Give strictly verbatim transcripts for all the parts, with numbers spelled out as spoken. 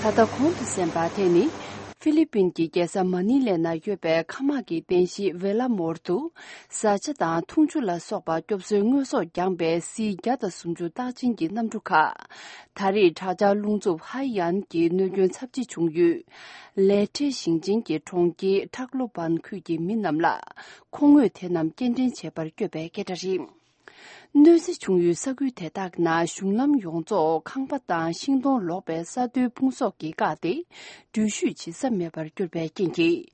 ད་ལྟ་གོང་དུ་གསན་པ་དེ་ནི། ཧྥི་ལི་པིན་གྱི་རྒྱལ་ས་མ་ནི་ལའི་ནང་ཡོད་པའི་མཁའ་དམག་གི་རྟེན་གཞི་ཝེ་ལ་མོར་དུ། བཟའ་བཅའ་དང་འཐུང་ཆུ་ལ་སོགས་པ་སྐྱོབ་གསོའི་དངོས་ཟོག་བརྒྱངས་པའི་སི་བརྒྱ་དང་སུམ་ཅུ་རྟགས་ཅན་གྱི་གནམ་གྲུ་ཁག་ད་རེས་དྲག་ཆར་རླུང་འཚུབ་ཧའེ་ཡན་གྱི་གནོད་སྐྱོན་ཚབས་ཆེ་བྱུང་ཡུལ། ལེ་ཁྲེ་ཞིང་ཆེན་གྱི་གྲོང་ཁྱེར་ཁྲག་ལོ་བན་ཁུལ་གྱི་མི་རྣམས་ལ། མཁོ་དངོས་དེ་རྣམས་སྐྱེལ་འདྲེན་བྱེད་པར་བསྐྱོད་པའི་སྐད་སྒྲ་རེད། གནོད་འཚེ་བྱུང་ཡུལ་ས་ཁུལ་དེ་དག་ནང་གཞུང་ལམ་ཡོངས་རྫོགས་ཁང་པ་དང་ཤིང་སྡོང་ལོག་པའི་ས་རྡོའི་ཕུང་གསོག་གིས་བཀག་སྟེ། འགྲུལ་བཞུད་བྱེད་ས་མེད་པར་གྱུར་པའི་རྐྱེན་གྱིས།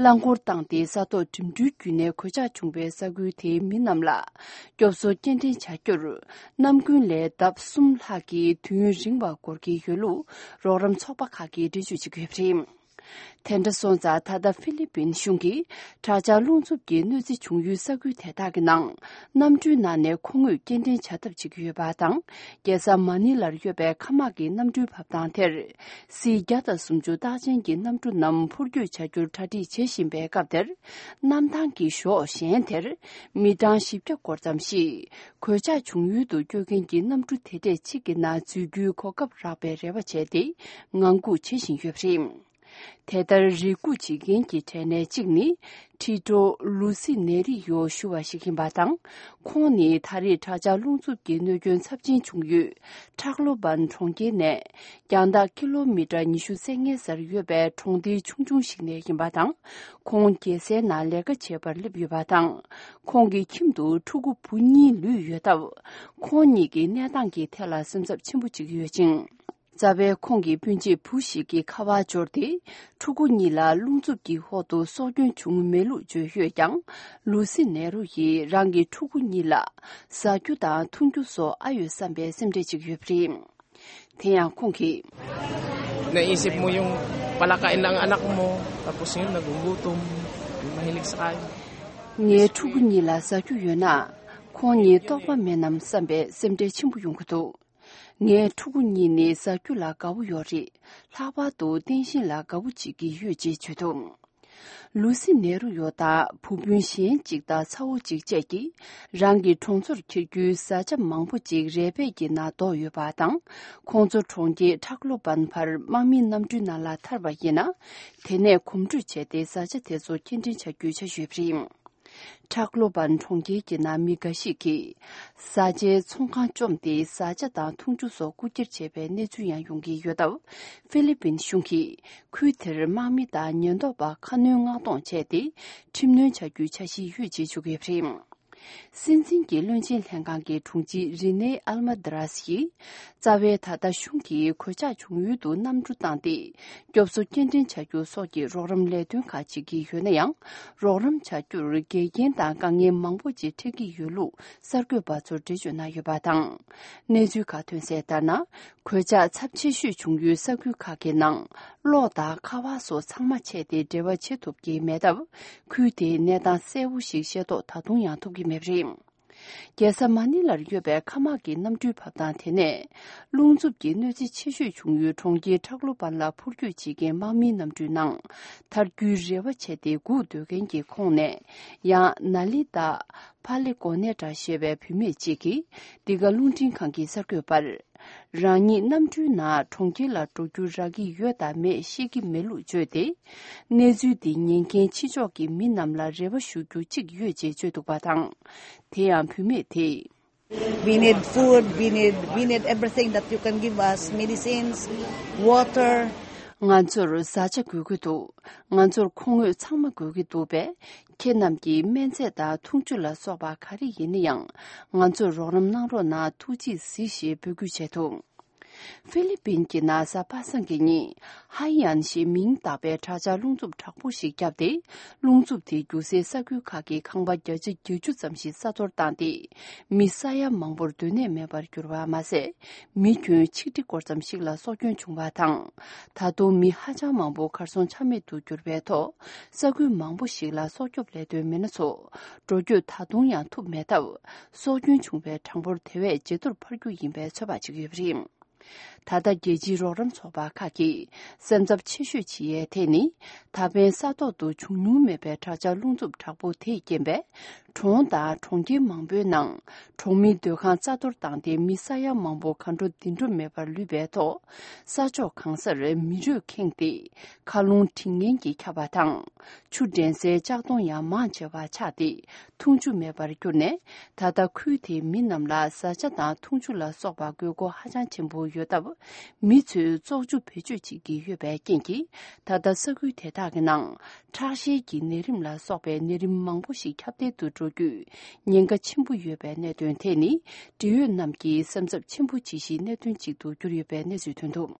རླངས་འཁོར་བཏང་སྟེ་ས་ཐོག་འགྲིམ་འགྲུལ་བརྒྱུད་ནས་གོད་ཆག་བྱུང་བའི་ས་ཁུལ་དེའི་མི་རྣམས་ལ། སྐྱོབ་གསོ་སྐྱེལ་འདྲེན་བྱ་རྒྱུར། ནམ་རྒྱུན་ལས་ལྡབ་གསུམ་ལྷག་གི་དུས་ཡུན་རིང་བ་འགོར་གྱི་ཡོད་ལུགས་རོགས་རམ་ཚོགས་པ་ཁག་གིས་འགྲེལ་བརྗོད་བྱེད་ཀྱི་ཡོད་པ་རེད། དེ་འདྲ་སོང་ཙང་ད་ལྟ་ཧྥི་ལི་པིན་གཞུང་གིས་དྲག་ཆར་རླུང་འཚུབ་ཀྱི་གནོད་འཚེ་བྱུང་ཡུལ་ས་ཁུལ་དེ་དག་གི་ནང་གནམ་གྲུའི་ནང་ནས་མཁོ་དངོས་སྐྱེལ་འདྲེན་བྱ་ཐབས་བྱེད་ཀྱི་ཡོད་པ་དང་། རྒྱལ་ས་མ་ནི་ལར་ཡོད་པའི་མཁའ་དམག་གི་གནམ་གྲུའི་བབས་ཐང་དེར། སི་བརྒྱ་དང་སུམ་ཅུ་རྟགས་ཅན་གྱི་གནམ་གྲུ་རྣམས་འཕུར་སྐྱོད་བྱ་རྒྱུར་གྲ་སྒྲིག་བྱེད་བཞིན་པའི་སྐབས་དེར། གནམ་ཐང་གི་གཞོགས་གཞན་དེར། མི་གྲངས་བཞི་བརྒྱ་སྐོར་ཙམ་ཞིག་གོད་ཆག་བྱུང་ཡུལ་དུ་སྐྱོད་མཁན་གྱི་གནམ་གྲུ་དེ་འདྲས་གཅིག་གི་ནང་འཛུལ་རྒྱུའི་གོ་སྐབས་རག་པའི་རེ་བ་བྱས་ཏེ། ངང་སྒུག་བྱེད་བཞིན་ཡོད་པ་རེད། དེ་ལྟར་རེ་སྒུག་བྱེད་མཁན་གྱི་གྲས་ནས་གཅིག་ནི། ཁྲི་ཀྲོ་ལུ་སི་ནེ་རི་ཡོ་ཞུ་བ་ཞིག་ཡིན་པ་དང་། ཁོང་ནི་ད་རེས་དྲག་ཆར་རླུང་འཚུབ་ཀྱི་གནོད་སྐྱོན་ཚབས་ཆེན་བྱུང་ཡུལ། ཁྲག་ལོ་བན་གྲོང་ཁྱེར་ནས། རྒྱང་ཐག་ཀི་ལོ་མི་ཊར་ཉི་ཤུ་རྩ་ལྔའི་སར་ཡོད་པའི་གྲོང་སྡེ་ཆུང་ཆུང་ཞིག་ནས་ཡིན་པ་དང་། ཁོང་རྒྱལ་སའི་ནང་ལས་ཀ་བྱེད་པར་སླེབས་ཡོད་པ་དང་། ཁོང་གི་ཁྱིམ་དུ་ཕྲུ་གུ་བུ་གཉིས་ལུས་ཡོད་སྟབས། ཁོང་གཉིས་ཀྱི་གནས་སྟངས་ཀྱི་ཐད་ལ་སེམས་འཚབ་ཆེན་པོ་བྱེད་ཀྱི་ཡོད་ཅིང་། རྩ་བའི་ཁོང་གི་སྤུན་མཆེད་བུ་ཞིག་གི་ཁ་པར་འབྱོར་ཏེ། ཕྲུ་གུ་གཉིས་ལ་རླུང་འཚུབ་ཀྱི་འོག་ཏུ་སྲོག་སྐྱོན་བྱུང་མེད་ལུགས་བརྗོད་ཡོད་ཀྱང་། ལུ་སི་ནེ་རུ་ཡིས་རང་གི་ཕྲུ་གུ་གཉིས་ལ། བཟའ་རྒྱུ་དང་འཐུང་རྒྱུ་སོགས་ཨ་ཡོད་བསམ་པའི་སེམས་ཁྲལ་བྱེད་ཀྱི་ཡོད་པ་རེད། དེ་ཡང་ཁོང་གིས། Naisip mo yung palakain ng anak mo, tapos yun, nagugutom, mahilig sa kain. ངའི་ཕྲུ་གུ་གཉིས་ལ་བཟའ་རྒྱུ་ཡོད་ན། ཁོང་གཉིས་ལྟོགས་པ་མེད་ནམ་བསམ་པའི་སེམས་ཁྲལ་ཆེན་པོ་ཡོང་གི་འདུག་ངའི་ཕྲུ་གུ་གཉིས་ནི་བཟའ་རྒྱུ་ལ་དགའ་བོ་ཡོད་རེད། ལྷག་པར་དུ་རྟེན་ཞིང་ལ་དགའ་བོ་བྱེད་ཀྱི་ཡོད་ཅེས་བརྗོད་འདུག་ལུ་སི་ནེ་རུ་ཡོ་དང་བུ་སྤུན་གཞན་གཅིག་དང་ཚ་བོ་གཅིག་བཅས་ཀྱིས་རང་གི་གྲོང་ཚོར་འཁྱེར་རྒྱུའི་བཟའ་བཅའ་མང་པོ་ཅིག་རས་བལ་གྱི་ནང་བསྡོགས་ཡོད་པ་དང་། ཁོང་ཚོ་གྲོང་ཁྱེར་ཁྲག་ལོ་བན་བར་དམག་མིའི་གནམ་གྲུའི་ནང་ལ་ཐར་བ་ཡིན་ན། དེ་ནས་གོམ་བགྲོད་བྱས་ཏེ་བཟའ་བཅའ་དེ་ཚོ་སྐྱེལ་འདྲེན་བྱ་རྒྱུའི་འཆར་གཞི་ཡོད་པ་རེད། ཁྲག་ལོ་བན་གྲོང་ཁྱེར་གྱི་ནང་མི་འགའ་ཞིག་གིས། བཟའ་བཅའི་ཚོང་ཁང་བཅོམ་སྟེ་བཟའ་བཅའ་དང་འཐུང་ཆུ་སོགས་རྐུ་འཁྱེར་བྱས་པའི་གནས་ཚུལ་ཡང་ཡོང་གི་ཡོད་སྟབས། ཧྥི་ལི་པིན་གཞུང་གིས་ཁུལ་དེར་དམག་མི་དང་ཉེན་རྟོག་པ་ཁ་སྣོན་མངགས་གཏོང་བྱས་ཏེ། ཁྲིམས་གནོན་བྱ་རྒྱུའི་འཆར་གཞི་ཡོད་ཅེས་བརྗོད་ཀྱི་ཡོད་པ་རེད། སྲིད་འཛིན་གྱི་བློན་ཆེན་ལྷན་ཁང་གི་དྲུང་ཆེ་རི་ནེ་ཨལ་མ་དི་རཱས་ཡིས། རྩ་བའི་ད་ལྟ་གཞུང་གིས་གོད་ཆག་བྱུང་ཡུལ་དུ་གནམ་གྲུ་བཏང་སྟེ། སྐྱོབ་གསོ་སྐྱེལ་འདྲེན་བྱ་རྒྱུ་སོགས་ཀྱི་རོགས་རམ་ལས་དོན་ཁག་བྱེད་ཀྱི་ཡོད་ན་ཡང་། རོགས་རམ་བྱ་རྒྱུར་འགལ་རྐྱེན་དང་དཀའ་ངལ་མང་པོ་ཅིག་འཕྲད་ཀྱི་ཡོད་ལུགས་གསར་འགོད་པ་ཚོར་འགྲེལ་བརྗོད་གནང་ཡོད་པ་དང་། གནས་ཚུལ་ཁག་ཐོན་གསལ་ལྟར་ན། གོད་ཆག་ཚབས་ཆེ་ཤོས་བྱུང་ཡུལ་ས་ཁུལ་ཁག་གི་ནང་། གློག་དང་ཁ་པར་སོགས་ཚང་མ་ཆད་དེ་འབྲེལ་བ་བྱེད་ཐུབ་ཀྱི་མེད་སྟབས། ཁུལ་དེའི་གནས་སྟངས་གསལ་བོ་ཞིག་ཤེས་རྟོགས་ད་དུང་ཡང་ཐུབ་ཀྱི་མེད་པ་རེད། རྒྱལ་ས་མ་ནི་ལར་ཡོད་པའི་མཁའ་དམག་གི་གནམ་གྲུའི་བབས་ཐང་དེ་ནས། རླུང་འཚུབ་ཀྱི་གནོད་འཚེ་ཆེ་ཤོས་བྱུང་ཡུལ་གྲོང་ཁྱེར་ཁྲག་ལོ་བན་ལ་འཕུར་སྐྱོད་བྱེད་མཁན་དམག་མིའི་གནམ་གྲུའི་ནང་ཐར་རྒྱུའི་རེ་བ་བྱས་ཏེ་སྒུག་སྡོད་མཁན་གྱི་ཁོངས་ནས། ཡང་ན་ལི་ཏཱ་ཕ་ལེ་གོ་ནེ་ཏྲ་ཞེས་པའི་བུད་མེད་ཅིག་གིས། འདི་ག་རླུང་འཕྲིན་ཁང་གིས་གསར་འགོད་པར། རང་ཉིད་གནམ་གྲུའི་ནང་གྲོང་ཁྱེར་ལ་འགྲོ་རྒྱུ་རག་གི་ཡོད་དམ་མེད་ཤེས་ཀྱི་མེད་ལུགས་བརྗོད་དེ། གནས་ཚུལ་འདི་ཉན་མཁན་ཕྱི་ཕྱོགས་ཀྱི་མི་རྣམས་ལ་རེ་བ་ཞུ་རྒྱུ་གཅིག་ཡོད་ཅེས་བརྗོད་འདུག་པ་དང་། དེ་ཡང་བུད་མེད་དེས། We need food, we need, we need everything that you can give us, medicines, water. ང་ཚོར་བཟའ་བཅའ་དགོས་ཀྱི་འདུག་ང་ཚོར་མཁོ་དངོས་ཚང་མ་དགོས་ཀྱི་འདུག་པས། ཁྱེད་རྣམས་ཀྱིས་སྨན་རྫས་དང་འཐུང་ཆུ་ལ་སོགས་པ་ག་རེ་ཡིན་ན་ཡང་། ང་ཚོར་རོགས་རམ་གནང་རོགས་གནང་། ཐུགས་རྗེས་གཟིགས་ཞེས་འབོད་སྐུལ་བྱས་འདུག་ཧྥི་ལི་པིན་གྱི་ན་བཟའ་པ་སངས་ཀྱི་ཉིན། ཧའེ་ཡན་ཞེས་མིང་བཏགས་པའི་དྲག་ཆར་རླུང་འཚུབ་དྲག་པོ་ཞིག་བརྒྱབ་སྟེ། རླུང་འཚུབ་དེས་རྒྱུ་སའི་ས་ཁུལ་ཁག་གི་ཁང་པ་བརྒྱ་ཆ་བརྒྱད་ཅུ་ཙམ་ཞིག་ས་གཏོར་བཏང་སྟེ། མི་ས་ཡ་མང་པོར་སྡོད་གནས་མེད་པར་གྱུར་པ་མ་ཟད། མི་ཁྱོན་ཆིག་ཁྲི་སྐོར་ཙམ་ཞིག་ལ་སྲོག་སྐྱོན་བྱུང་བ་དང་། ད་དུང་མི་ཧ་ཅང་མང་པོ་གར་སོང་ཆ་མེད་དུ་གྱུར་པའི་ཐོག་ས་ཁུལ་མང་པོ་ཞིག་ལ་སྲོག་སྐྱོབ་ལས་དོན་མི་སྣ་ཚོ་འགྲོ་སྐྱོད་ད་དུང་ཡང་ཐུབ་མེད་སྟབས། སྲོག་སྐྱོན་བྱུང་བའི་གྲངས་འབོར་དེ་བས་ཇེ་མཐོར་འཕར་རྒྱུ་ཡིན་པའི་ཚོད་དཔག་བྱེད་ཀྱི་ཡོད་པ་རེད། ད་ལྟ་རྒྱལ་སྤྱིའི་རོགས་རམ་ཚོགས་པ་ཁག་གིས་སེམས་འཚབ་ཆེ་ཤོས་བྱེད་ཡས་དེ་ནི། ད་ཕན་ས་ཐོག་ཏུ་བྱུང་མྱོང་མེད་པའི་དྲག་ཆར་རླུང་འཚུབ་དྲག་པོ་དེས་རྐྱེན་པས། གྲོང་དང་གྲོང་ཁྱེར་མང་པོའི་ནང་གྲོང་མིའི་སྡོད་ཁང་རྩ་གཏོར་བཏང་སྟེ། མི་ས་ཡ་མང་པོ་ག་འགྲོ་འདི་འགྲོ་མེད་པར་ལུས་པའི་ཐོག་ས་ཕྱོགས་གང་སར་མི་རུས་ཁེངས་ཏེ། མཁའ་རླུང་དྲི་ངན་གྱིས་ཁྱབ་པ་དང་། ཆུ་འདྲེན་སའི་ལྕགས་མདོང་ཡང་མང་ཆེ་བ་ཆག་སྟེ། འཐུང་ཆུ་མེད་པར་གྱུར་ནས། ད་ལྟ་ཁུལ་དེའི་མི་རྣམས་ལ་བཟའ་བཅའ་དང་འཐུང་ཆུ་ལ་སོགས་པ་དགོས་མཁོ་ཧ་ཅང་ཆེན་པོ་ཡོད་སྟབས། མི་ཚོས་བཙོག་ཆུ་བེད་སྤྱོད་བྱེད་ཀྱི་ཡོད་པའི་རྐྱེན་གྱིས། ད་ལྟ་ས་ཁུལ་དེ་དག་གི་ནང་ཁྲག་ཤེད་ཀྱི་ནད་རིམས་ལ་སོགས་པའི་ནད་རིམས་མང་པོ་ཞིག་ཁྱབ་གདལ་དུ་འགྲོ་རྒྱུའི་ཉེན་ཁ་ཆེན་པོ་ཡོད་པའི་གནད་དོན་དེ་ནི། འབྲེལ་ཡོད་རྣམས་ཀྱིས་སེམས་འཚབ་ཆེན་པོ་བྱེད་གཞིའི་གནད་དོན་ཅིག་ཏུ་གྱུར་ཡོད་པའི་གནས་ཚུལ་ཐོན་འདུག།